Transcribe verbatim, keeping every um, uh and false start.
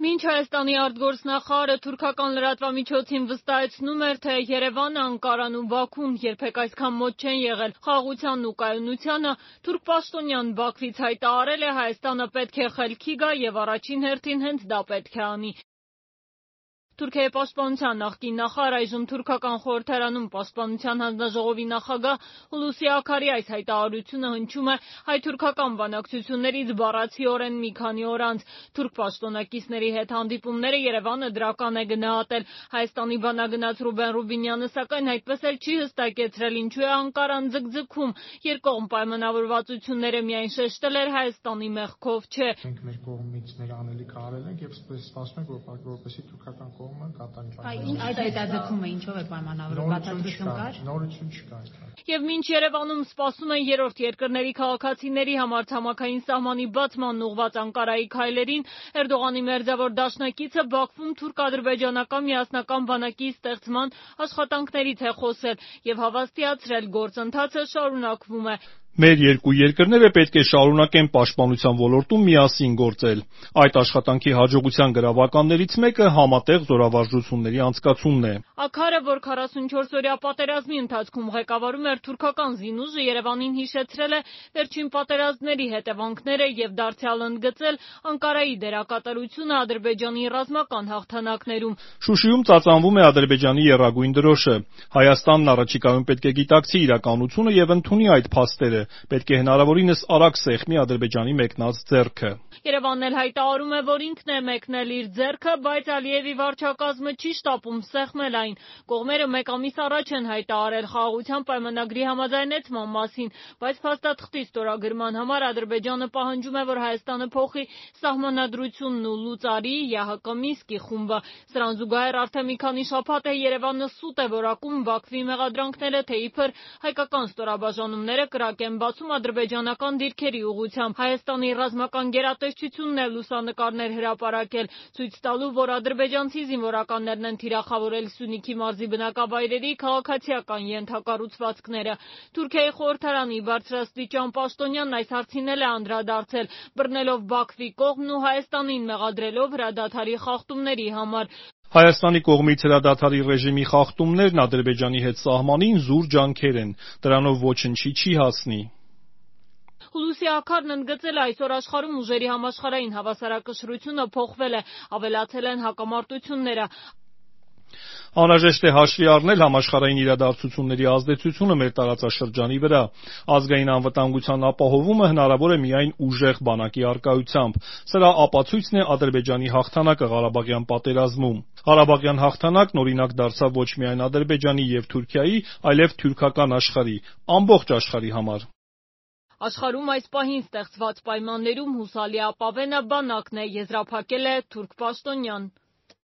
Մինչ Հայաստանի արտգործնախարարը թուրքական լրատվամիջոցին վստահեցնում էր, թե Երևանը, Անկարան ու Բաքուն երբեք այսքան մոտ չեն եղել խաղաղությանն ու կայունությանը, թուրք պաշտոնյան Բաքվից հայտարարել է Հայաստանը պետք է խելքի գա եւ առաջին հերթին հենց դա պետք է անի։ Թուրքիայի պաշտպանության նախկին նախարար, այժմ թուրքական խորհրդարանում պաշտպանության հանձնաժողովի նախագահ Հուլուսի Աքարի այս հայտարարությունը հնչում է հայ-թուրքական բանակցություններից բառացիորեն մի քանի օր անց։ Թուրք պաշտոնակիցների հետ հանդիպումները Երևանը դրական է գնահատել։ Հայաստանի բանագնաց Ռուբեն Ռուբինյանը սակայն այդպես էլ չի հստակեցրել, ինչու է Անկարան ձգձգում։ Երկկողմ պայմանավորվածությունները միայն շեշտել էր, Հայաստանի մեղքով չէ։ Մենք մեր կողմից մեր անելիքը արել ենք եւ սպասում ենք, որ որպեսզի թուրքական կողմը կատարի։ Այդ հետաձգումը ինչով է պայմանավորված, բացատրություն կար։ Նորություն չկա։ Եվ մինչ Երևանում սպասում են երրորդ երկրների քաղաքացիների համար ցամաքային սահմանի բացման ուղղված Անկարայի քայլերին, Էրդողանի մերձավոր դաշնակիցը Բաքվում թուրք-ադրբեջանական միասնական բանակի ստեղծման աշխատանքներից է խոսել եւ հավաստիացրել, գործընթացը շարունակվում է։ Մեր երկու երկրները պետք է շարունակեն պաշտպանության ոլորտում միասին գործել։ Այդ աշխատանքի հաջողության գրավականներից մեկը համատեղ զորավարժությունների անցկացումն է։ Աքարը, որ քառասունչորսօրյա պատերազմի ընթացքում ղեկավարում էր թուրքական զինուժը, Երևանին հիշեցրել է վերջին պատերազմների հետևանքները եւ դարձյալ ընդգծել Անկարայի դերակատարությունը Ադրբեջանի ռազմական հաղթանակներում։ Շուշիում ծածանվում է Ադրբեջանի եռագույն դրոշը։ Հայաստանն առաջիկայում պետք է գիտակցի իրականությունը եւ ընդունի այդ փաստերը։ Պետք է հնարավորինս արագ սեղմի Ադրբեջանի մեկնած ձեռքը։ Երևանն էլ հայտարարում է, որ ինքն է մեկնել իր ձեռքը, բայց Ալիևի վարչակազմը չի շտապում սեղմել այն։ Կողմերը մեկ ամիս առաջ են հայտարարել խաղաղության պայմանագրի համաձայնեցման մասին, բայց փաստաթղթի ստորագրման համար Ադրբեջանը պահանջում է, որ Հայաստանը փոխի սահմանադրությունն ու լուծարի ԵԱՀԿ Մինսկի խումբը։ Սրան զուգահեռ արդեն մի քանի շաբաթ է Երևանը սուտ է որակում Բաքվի մեղադրանքները, թե իբր հայկական ստորաբաժանումները կրակ են բացում ադրբեջանական դիրքերի ուղղությամբ։ Հայաստանի ռազմական գերատեսչությունն է լուսանկարներ հրապարակել, ցույց տալու, որ ադրբեջանցի զինվորականներն են թիրախավորել Սյունիքի մարզի բնակավայրերի քաղաքացիական ենթակառուցվածքները։ Թուրքիայի խորհրդարանի բարձրաստիճան պաշտոնյանն այս հարցին էլ է անդրադարձել, բռնելով Բաքվի կողմն ու Հայաստանին մեղադրելով հրադադարի խախտումների համար։ Հայաստանի կողմից հրադադարի ռեժիմի խախտումներն Ադրբեջանի հետ սահմանին զուր ջանքեր են, դրանով ոչնչի չի հասնի։ Հուլուսի Աքարն ընդգծել է, այսօր աշխարհում ուժերի համաշխարհային հավասարակշռությունը փոխվել է, ավելացել են հակամարտությունները։ Անհրաժեշտ է հաշվի առնել համաշխարհային իրադարձությունների ազդեցությունը մեր տարածաշրջանի վրա։ Ազգային անվտանգության ապահովումը հնարավոր է միայն ուժեղ բանակի առկայությամբ։ Սրա ապացույցն է Ադրբեջանի հաղթանակը Ղարաբաղյան պատերազմում։ Ղարաբաղյան հաղթանակն օրինակ դարձավ ոչ միայն Ադրբեջանի եւ Թուրքիայի, այլև թուրքական աշխարհի, ամբողջ աշխարհի համար։ Աշխարհում այս պահին ստեղծված պայմաններում հուսալի ապավենը բանակն է, եզրափակել է թուրք պաշտոնյան։